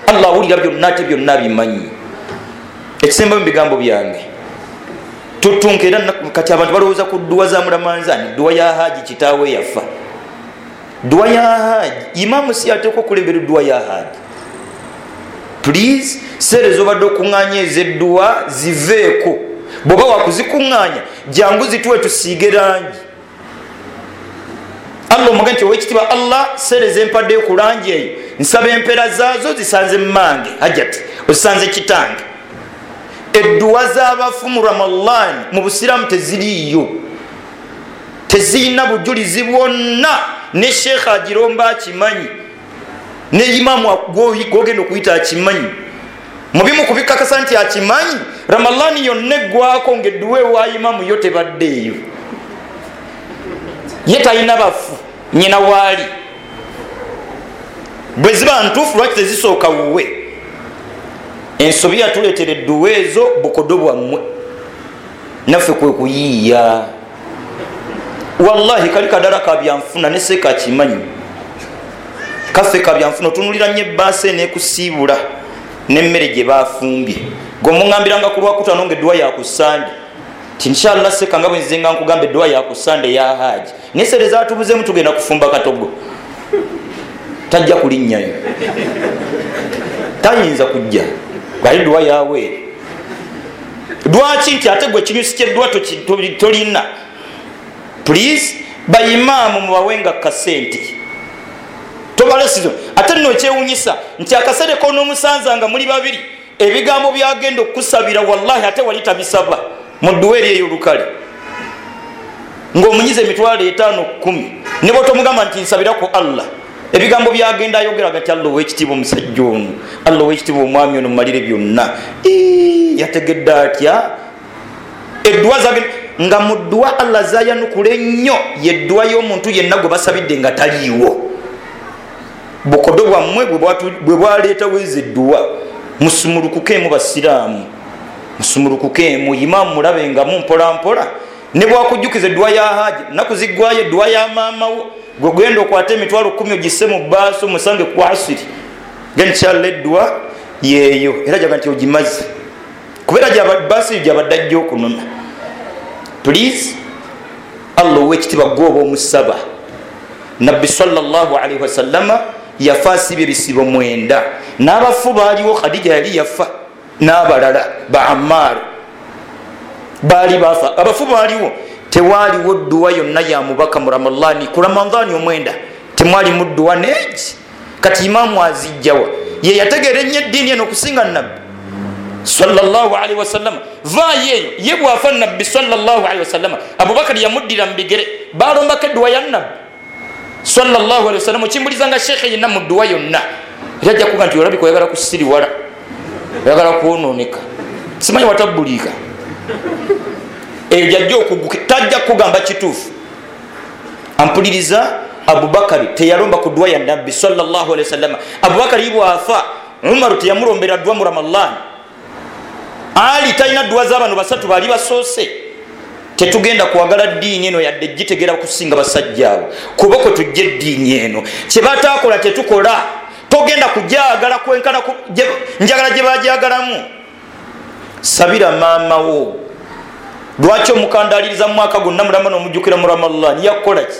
Allah awulira byonna ate byonna abimanyi. Ekisembayo mu bigambo byange, tutunka era kati abantu balowooza ku dduwa za Mulamanzaani, dduwa ya Haji kitaawe yafa. Dduwa ya Haji, imaamu si ateekwa okulembera dduwa ya Haji. Please, sere z'obadde okuŋŋaanya ez'edduwa ziveeko. Bw'oba wakuzikuŋŋaanya jangu zituwe tusiige langi. Allah omugambe nti owekitiibwa Allah, sere zempaddeyo ku langi eyo nsaba empeera zaazo zisanze mmange Hajati, ozisanze kitange. Edduwa z'abafu mu Ramadhan mu busiraamu teziriiyo, tezirina bujulizi bwonna. Ne sheekha agiromba akimanyi, ne imaamu gwogenda okuyita akimanyi. Mu bimu ku bikakasa nti akimanyi, Ramadhan yonna eggwako ng'edduwa ewa imaamu yo tebaddeeyo. Ye talina bafu, nnyina waali. Bwe ziba ntuufu lwaki tezisooka wuwe? Ensobi yatuleetera edduwa ezo bukodo bwammwe, naffe kwe kuyiiya. Wallahi kali kadala ka byanfuna ne seeka akimanyi, kaffe ka byanfuna. Otunulira nnyo ebbaasa eneekusiibula n'emmere gye baafumbye. Gwe omuŋŋambiranga ku Lwakutaano ng'edduwa ya ku Ssande, ti inshallah seeka nga bwe nzize nga nkugamba edduwa ya ku Ssande ya Haji, naye sere zaatubuzeemu tugenda kufumba katogo. Tajja kulinnyayo, tayinza kujja gali dduwa yaweere. Lwaki? Nti ate gwe ekinyusi ky'edduwa tolina. Please, bayimaamu mubawenga kasente, tobalesizo. Ate nno ekyewunyisa nti akaseera k'onoomusanza nga muli babiri, ebigambo byagenda okukusabira wallahi ate wali tabisaba mu dduwa eri ey'olukale, ng'omunyiza emitwalo etaano kkumi, ne bw'otomugamba nti nsabira ku Allah, ebigambo byagenda ayogeraga nti Allah ow'ekitiibwa omusajja ono, Allah ow'ekitiibwa omwami ono mumalire byonna. Yategedde atya? Edduwa zagenda nga mu dduwa Allah zayanukula ennyo ye dduwa y'omuntu yenna gwe basabidde nga taliiwo. Bukodo bwammwe bwe bwaleetawo ezo edduwa. Musumulukukeemu basiraamu, musumulukukeemu. Imaamu mulabengamu mpola mpola, Ne bwakujjukiza edduwa ya haji naku ziggwayo edduwa ya maamawo, gwe genda okwate emitwalo kumi ogisse mu baaso musange ku asiri, genda edduwa yeeyo era jaga nti ogimaze kubeera baasi eyo gyabadde ajja okunona. Please, Allah ow'ekitiibwa gwe oba omusaba. Nabbi sallallahu alaihi wasallama yafa asibye ebisibo mwenda, n'abafu baaliwo. Khadija yali yafa n'abalala ba Ammar baali bafa, abafu baaliwo. Tewaaliwo dduwa yonna ya mubaka mu Ramadhani, ku Ramadhani omwenda temwalimu dduwa neegi. Kati imaamu azijjawa? Ye yategeera ennyo eddiini eno okusinga nabbi sallallahu alaihi wasallama. Vaayo eyo ye bw'afa nabbi sallallahu alaihi wasallama, Abubakari yamuddira mu bigere, balombako edduwa ya nabbi sallallahu alaihi wasallam. Okimbuliza nga sheekhe yenna mu dduwa yonna era ajja kuga nti olabika oyagala kusiriwala, oyagala kwonooneka, simanyi watabbuliika. Eyo gyajja okuguka, tajja kugamba kituufu. Ampuliriza, Abubakari teyalomba ku dduwa ya nabbi sallallahu alaihi wasallam. Abubakari bw'afa, Umaru teyamulombera dduwa mu Ramadhani. Ali talina dduwa z'abano basatu baali basoose. Tetugenda kwagala ddiini eno yadde gitegera kusinga basajja abo, kuba kwe tujja eddiini eno kye bataakola tetukola. Togenda kujagala kwenkana njagala gye bajagalamu. Sabira maama wo. Lwaki omukandaliriza mu mwaka gwonna mulama n'omujjukira mu Ramadhani? Yakukola ki?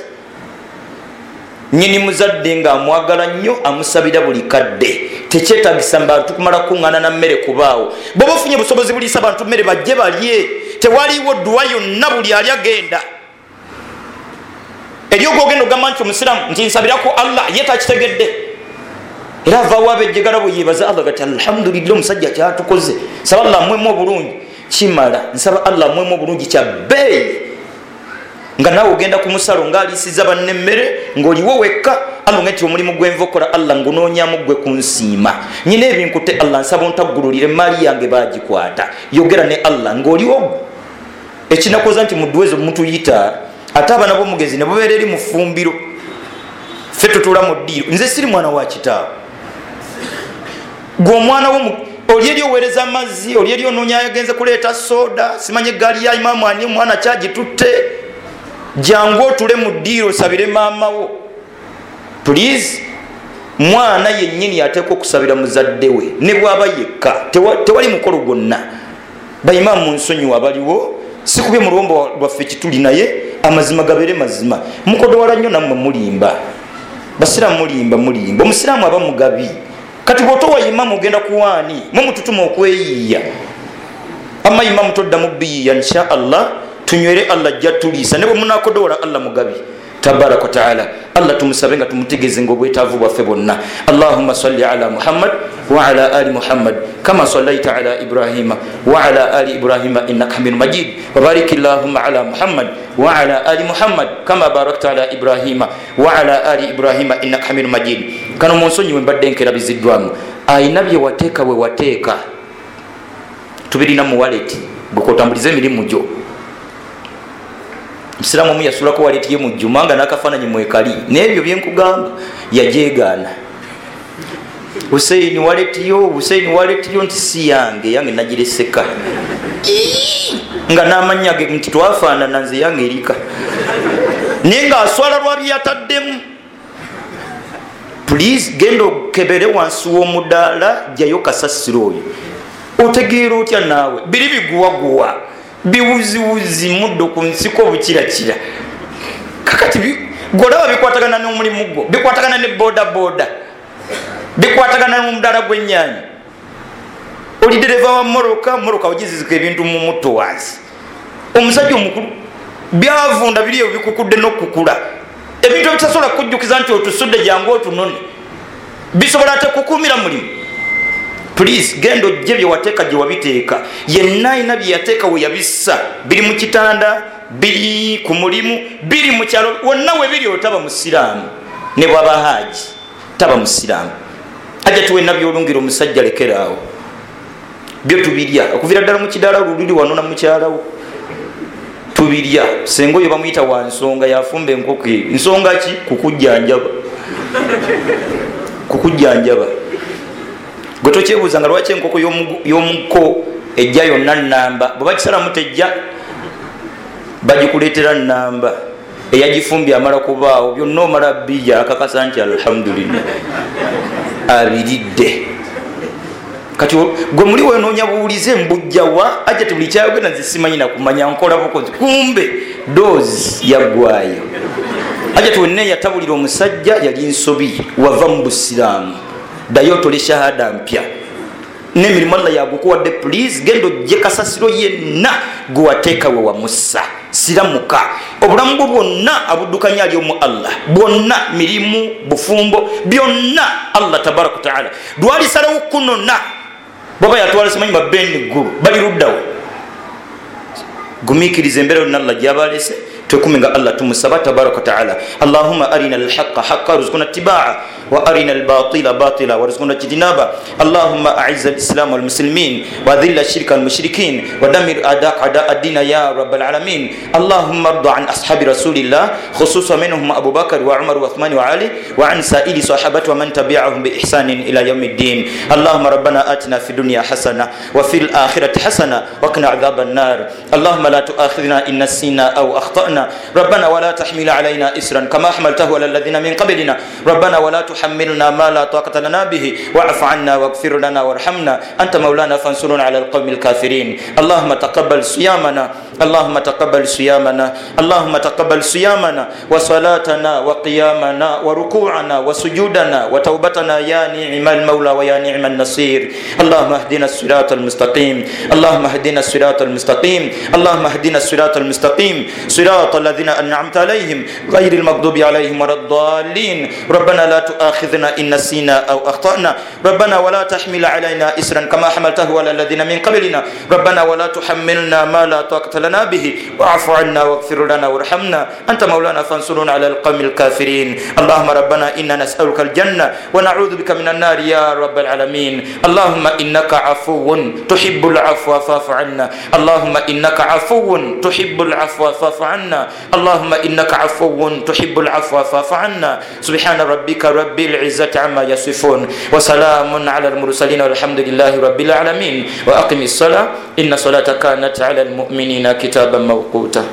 Nnyini muzadde ng'amwagala nnyo amusabira buli kadde. Tekyetagisa bantu kumala kuŋŋaana na mmere kubaawo. Bw'oba ofunye busobozi buliisa bantu mmere bajje balye. Tewaliwo dduwa yonna, buli ali agenda eri ogwogenda ogamba nti omusiraamu nti nsabirako Allah, ye takitegedde. Era avaawo abejjegala bwe yeebaza Allah gati alhamdulillah omusajja kyatukoze, nsaba Allah amwemu obulungi. Kimala, nsaba Allah amwemu obulungi kya bbeeyi. Nga naawe ogenda ku musalo ng'aliisiza banne emmere ng'oliwo wekka, Allah nga nti omulimu gwenva okola Allah ngunoonyamu gwe kunsiima, nyina ebinkute Allah nsaba ontaggululire emaali yange baagikwata. Yogera ne Allah ng'oliwo gwe. Ekinakoza nti mu dduwa ezo mutuyita ate abaana b'omugenzi ne bubeera eri mu ffumbiro, ffe tutuula mu ddiiro. Nze siri mwana wa kitaawe, gwe omwana wo oli eri oweereza amazzi, oli eri onoonya yagenze kuleeta soda, simanye eggaali ya imaamu ani omwana kyagitutte. Jangu otule mu ddiiro osabire maama wo. Please, mwana yennyini ateekwa okusabira muzadde we ne bw'aba yekka, tewali mukolo gwonna. Bayimaamu munsonyiwa abaliwo, sikubye mu luwombo lwaffe kituli, naye amazima gabeere mazima. Mukodowala nnyo nammwe mulimba, basiraamu mulimba mulimba. Omusiraamu aba mugabi. Kati bw'otowa imaamu ogenda kuwaani? Mwe mututuma okweyiiya. Amma imaamu toddamu biyiiya, insha Allah tunywere Allah ajja tuliisa. Ne bwe munaakodowola Allah mugabi tabaraka wa taala. Allah tumusabe nga tumutegeeze ng'obwetaavu bwaffe bwonna. Allahumma salli ala Muhammad wa ala ali Muhammad kama sallaita ala Ibrahima wa ala ali Ibrahima innaka hamidun majid, wa barik Allahumma ala Muhammad wa ala ali Muhammad kama barakta ala Ibrahima wa ala ali Ibrahima innaka hamidun majid. Kano munsonyiwe mbadde nkerabiziddwamu. Ayina bye wateeka we wateeka tubirina mu wallet, gwe kotambuliza emirimu gyo. Musiraamu omu yasulako waleti ye mu jjuma nga n'akafaananyi mwekali, n'ebyo byenkugamba yajeegaana. Huseini waleti yo, Huseini waleti yo, nti si yange, yange nagireseka. Nga n'amannya ge nti twafaanana, nze yange erika. Naye ng'aswala lwa bye yataddemu. Please, genda okebere wansi w'omudaala, jjayo kasasiro oyo. Otegeera otya naawe? Biri biguwaguwa, biwuziwuzi muddo ku nsiko bukirakira. Kakati golaba bikwatagana n'omulimu gwo, bikwatagana ne boda boda, bikwatagana n'omudaala gw'ennyaanya. Oli dereva wa mmotoka, mmotoka ogizizika ebintu mu mutto wansi. Omusajja omukulu byavunda biri ebyo bikukudde n'okukula, ebintu ebitasobola kukujjukiza nti otusudde jangu otunone, bisobola ate kukuumira mulimu. Please, genda ojje bye wateeka gye wabiteeka. Yenna alina bye yateeka we yabissa, biri mu kitanda, biri ku mulimu, biri mu kyalo, wonna we biri otaba musiraamu. Ne bw'aba haaji taba musiraamu. Ajja tuwenna byolungira omusajja lekeraawo, byo tubirya okuviira ddala mu kidaala lululi wano na mukyalawo tubirya. Senga oyo bamuyita wa nsonga, yafumba enkoko eyo. Nsonga ki? Kukujjanjaba, kukujjanjaba. Gwe tokyebuuza nga lwaki enkoko y'omuko ejja yonna nnamba, bwe bakisalamu tejja. Bagikuleetera namba eyagifumbye amala kubaawo byonna omala bija akakasa nti alhamdulillah abiridde. Kati gwe muli wenoonya buwulize mbujjawa ajja tebuli kyayogera nze simanyi nakumanya nkola bukozi, kumbe doozi yaggwayo. Ajja tiwenna yatabulira omusajja yali nsobi, wava mu busiraamu, ddayo otole shahada mpya n'emirimu Allah yagukuwadde. Please genda ojje kasasiro yenna gwe wateeka we wamussa, siramuka. Obulamu bwo bwonna abuddukanya ali omu Allah, bwonna mirimu, bufumbo, byonna Allah tabaraka wataala lwalisalawo kunona. Bwaba yatwala simanyi babendi ggulu bali luddawo. Gumiikiriza embeera yonna Allah gyabalese, twekume nga Allah tumusaba tabaraka wataala. Allahumma arina alhaqa haqa warzuqna ittibaa wa arina albatila batila warzuqna ijtinaba. Allahumma a'izz alislam walmuslimin wa adhill ashirka walmushrikin wa damir a'da'aka a'da ad-din ya rabbal alamin. Allahumma arda an ashabi rasulillah khususan minhum Abu Bakr wa Umar wa Uthman wa Ali wa an sa'ili sahabati wa man tabi'ahum bi ihsanin ila yawmiddin. Allahumma rabbana atina fid dunya hasana wa fil akhirati hasana wa qina adhaban nar. Allahumma la tu'akhidhna in nasina aw akhta'na. ربنا ولا تحمل علينا إسرا كما حملته على الذين من قبلنا. ربنا ولا تحملنا ما لا طاقة لنا به واعف عنا واغفر لنا وارحمنا أنت مولانا فانصرنا على القوم الكافرين. اللهم تقبل صيامنا، اللهم تقبل صيامنا، اللهم تقبل صيامنا وصلاتنا وقيامنا وركوعنا وسجودنا وتوبتنا يا نعم المولى ويا نعم النصير. اللهم اهدنا الصراط المستقيم، اللهم اهدنا الصراط المستقيم، اللهم اهدنا الصراط المستقيم، صراط الذين أنعمت عليهم غير المغضوب عليهم ولا الضالين. ربنا لا تؤاخذنا إن نسينا أو أخطأنا. ربنا ولا تحمل علينا إسرا كما حملته على الذين من قبلنا. ربنا ولا تحملنا ما لا طاقة لنا به واعف عنا واغفر لنا وارحمنا أنت مولانا فانصرنا على القوم الكافرين. اللهم ربنا إنا نسألك الجنة ونعوذ بك من النار يا رب العالمين. اللهم إنك عفو تحب العفو فاعف عنا. اللهم إنك عفو تحب العفو فاعف عنا. اللهم إنك عفو تحب العفو فاعف عنا. سبحان ربك رب العزة عما يصفون وسلام على المرسلين والحمد لله رب العالمين. وأقم الصلاة إن الصلاة كانت على المؤمنين كتابا موقوتا.